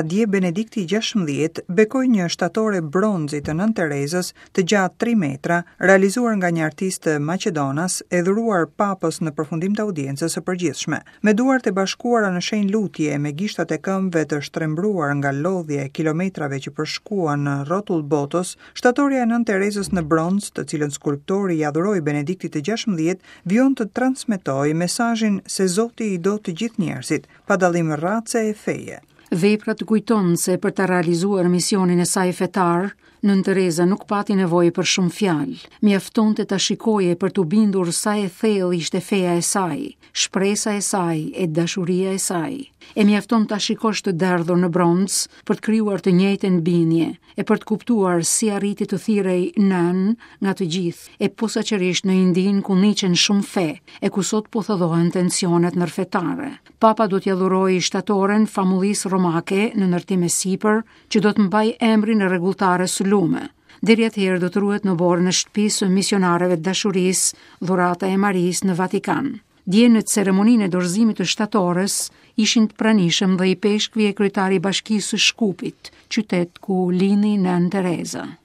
Dje Benedikti i 16 bekoi një shtatore bronzi të Nënë Terezës të gjatë 3 metra, realizuar nga një artist maqedonas e dhuruar papës në përfundim të audiencës së përgjithshme. Me duart e bashkuara në shenjë lutje e me gishtat e këmbëve të shtrembruar nga lodhja e kilometrave që përshkuan në rrotull botës, shtatorja e Nënë Terezës në bronz, të cilën skulptori ia dhuroi Benediktit të 16, vijon të transmetojë mesazhin se Zoti i do të gjithë njerëzit, pa dallim race e feje. Vepra të kujton se për ta realizuar misionin e saj fetar, Nënë Tereza nuk pati nevojë për shumë fjalë. Mjaftonte ta shikoje për t'u bindur sa e thellë ishte feja e saj, shpresa e saj e dashuria e saj. E mjafton ta shikosh të derdhur në bronz për të krijuar të njëjtën bindje e për të kuptuar si arriti të thirrej nënë nga të gjithë, e posaçërisht në Indinë ku ndiqen shumë fe e ku sot po thellohen tensionet ndërfetare. Papa do t'ia dhurojë shtatoren famullisë romake në ndërtim e sipër, që do të mbajë emrin e rregulltares lume. Deri atëherë do të ruhet në oborrin e shtëpisë së misionareve të dashurisë, Dhurata e Marisë në Vatikan. Dje në ceremoninë e dorëzimit të shtatores ishin të pranishëm dhe ipeshkvi e kryetari i bashkisë së Shkupit, qytet ku lindi Nënë Tereza.